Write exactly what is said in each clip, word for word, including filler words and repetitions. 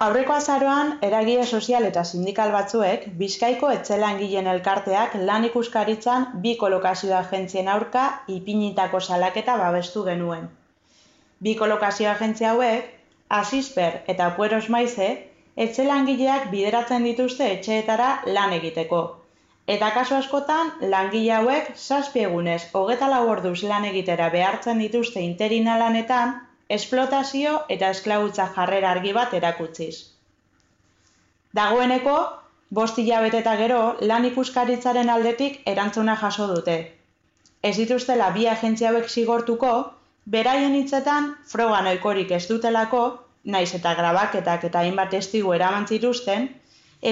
Aurreko azaroan, eragile sozial eta sindikal batzuek, Bizkaiko etxe-langileen elkarteak lan ikuskaritzan bi kolokazio agentzien aurka ipinitako salaketa babestu genuen. Bi kolokazio agentzia hauek, Asisper eta Pueros Maize, etxe-langileak bideratzen dituzte etxeetara lan egiteko. Eta kasu askotan, langile hauek zazpi egunez hogeita lau orduz lan egitera behartzen dituzte interina lanetan, esplotazio eta esklabutza jarrera argi bat erakutziz. Dagoeneko, bost hilabete eta gero lan ikuskaritzaren aldetik erantzuna jaso dute. Ez dituztela bi agentzia hauek zigortuko, beraien hitzetan froga nahikorik ez dutelako, naiz eta grabaketak eta hainbat testigu eraman zituzten,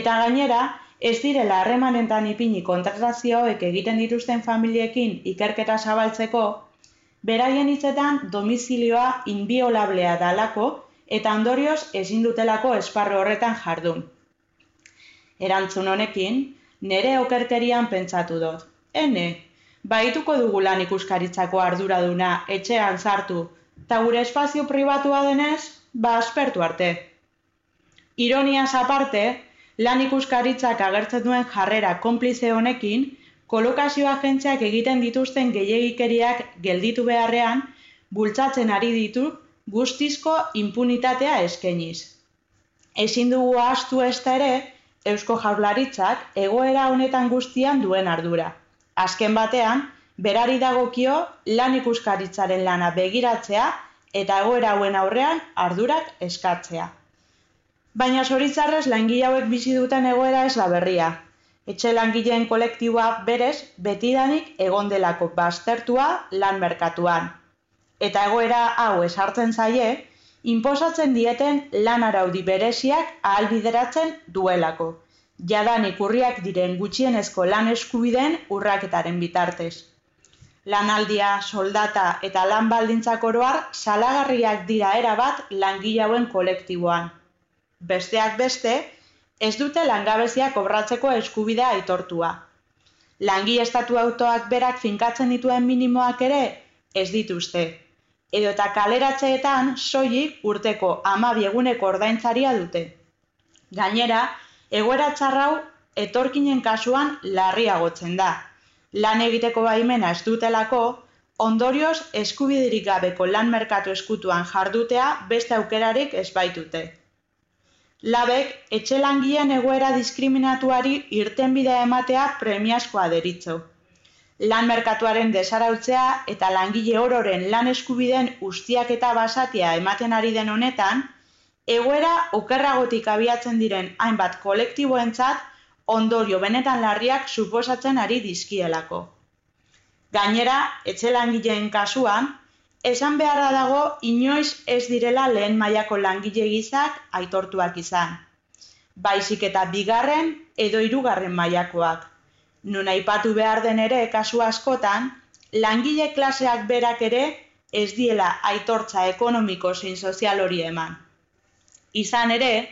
eta gainera, ez direla harremanetan ipini kontratazio hauek egiten dituzten familiekin ikerketa zabaltzeko, beraien hitzetan domizilioa inbiolablea dalako eta ondorioz ezin dutelako esparru horretan jardun. Erantzun honekin, nere okerkerian pentsatu dut. Ene, bahituko dugu lan ikuskaritzako arduraduna etxean sartu, eta gure espazio pribatua denez, ba aspertu arte. Ironiaz aparte, lan ikuskaritzak agertzen duen jarrera konplize honekin, kolokazio agentziak egiten dituzten gehiegikeriak gelditu beharrean, bultzatzen ari ditu guztizko inpunitatea eskainiz. Ezin dugu ahaztu ezta ere, Eusko Jaurlaritzak egoera honetan guztian duen ardura. Azken batean, berari dagokio lan ikuskaritzaren lana begiratzea eta egoera hauen aurrean ardurak eskatzea. Baina zoritxarrez langile hauek bizi duten egoera ez da berria. Etxe langileen kolektiboa berez betidanik egon delako baztertua lan merkatuan. Eta egoera hau ezartzen zaie, inposatzen dieten lan araudi bereziak ahalbideratzen duelako. Jadanik urriak diren gutxienezko lan eskubideen urraketaren bitartez. Lanaldia, soldata eta lan baldintzak oroar salagarriak dira erabat langile hauen kolektiboan. Besteak beste, ez dute langabezia kobratzeko eskubidea aitortua. Langile estatu autoak berak finkatzen dituen minimoak ere ez dituzte. Edo eta kaleratzeetan soilik urteko hamabi eguneko ordaintzaria dute. Gainera, egoera txarrau etorkinen kasuan larriagotzen da. Lan egiteko baimena ez dutelako, ondorioz eskubiderik gabeko lan merkatu eskutuan jardutea beste aukerarik ez baitute. Labek, etxe langileen egoera diskriminatuari irtenbidea ematea premiazkoa deritzo. Lan merkatuaren desarautzea eta langile ororen lan eskubideen ustiaketa basatia ematen ari den honetan, egoera okerragotik abiatzen diren hainbat kolektiboentzat ondorio benetan larriak suposatzen ari dizkielako. Gainera, etxe langileen kasuan, esan beharra dago inoiz ez direla lehen mailako langile gizak aitortuak izan. Baizik eta bigarren edo hirugarren mailakoak. Nun aipatu behar den ere kasu askotan, langile klaseak berak ere ez diela aitortza ekonomiko zein sozial hori eman. Izan ere,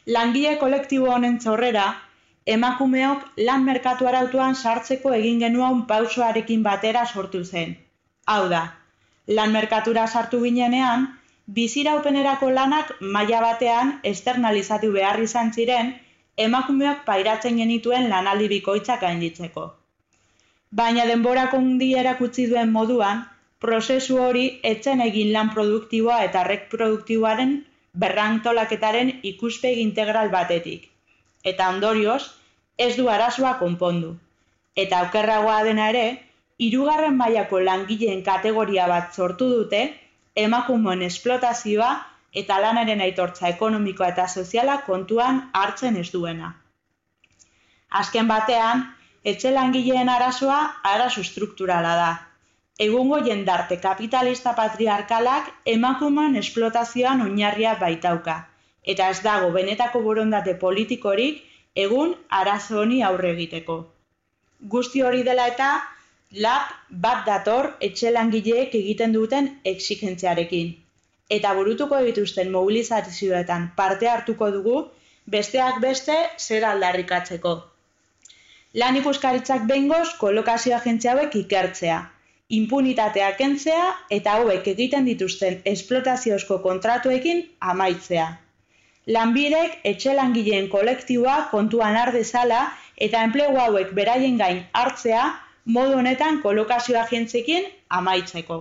langile kolektibo honen txorrera, emakumeok lan merkatu arautuan sartzeko egin genuen pausoarekin batera sortu zen. Hau da, lan merkatura sartu ginenean, biziraupenerako lanak maila batean externalizatu behar izan ziren, emakumeok pairatzen genituen lanaldi bikoitzak gainditzeko. Baina denborako hundi erakutsi duen moduan, prozesu hori etzen egin lan produktiboa eta reproduktiboaren berrantolaketaren ikuspegi integral batetik. Eta ondorioz, ez du arazoa konpondu. Eta okerragoa dena ere, hirugarren mailako langileen kategoria bat sortu dute, emakumeen esplotazioa eta lanaren aitortza ekonomikoa eta soziala kontuan hartzen ez duena. Azken batean, etxe langileen arazoa arazo strukturala da. Egungo jendarte kapitalista patriarkalak emakumeen esplotazioan oinarria baitauka, eta ez dago benetako borondate politikorik egun arazo honi aurre egiteko. Guzti hori dela eta, Lab bat dator etxe langileek egiten duten exigentziarekin. Eta burutuko dituzten mobilizazioetan parte hartuko dugu, besteak beste zer aldarrikatzeko. Lan ikuskaritzak behingoz kolokazio agentzia hauek ikertzea, impunitatea kentzea eta hauek egiten dituzten esplotaziozko kontratuekin amaitzea. Lanbidek etxe langileen kolektiboa kontuan har dezala eta enplegu hauek beraien gain hartzea modu honetan kolokazio agentziekin amaitzeko.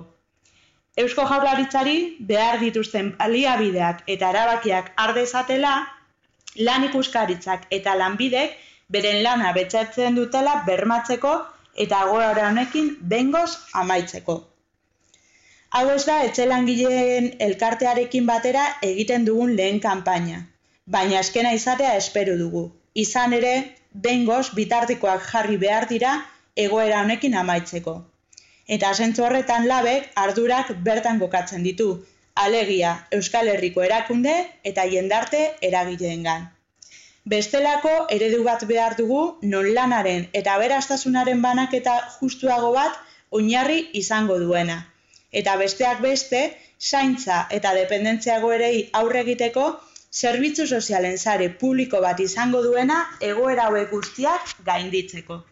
Eusko Jaurlaritzari behar dituzten baliabideak eta erabakiak har dezatela, lan ikuskaritzak eta lanbidek beren lana betetzen dutela bermatzeko eta egoera honekin behingoz amaitzeko. Hau ez da etxe langileen elkartearekin batera egiten dugun lehen kanpaina, baina azkena izatea espero dugu. Izan ere, behingoz bitartikoak jarri behar dira egoera honekin amaitzeko. Eta zentzu horretan labek ardurak bertan kokatzen ditu, alegia Euskal Herriko erakunde eta jendarte eragileengan. Bestelako eredu bat behar dugu non lanaren eta aberastasunaren banaketa justuago bat oinarri izango duena. Eta besteak beste, zaintza eta dependentzia egoerei aurre egiteko zerbitzu sozialen sare publiko bat izango duena egoera hauek guztiak gainditzeko.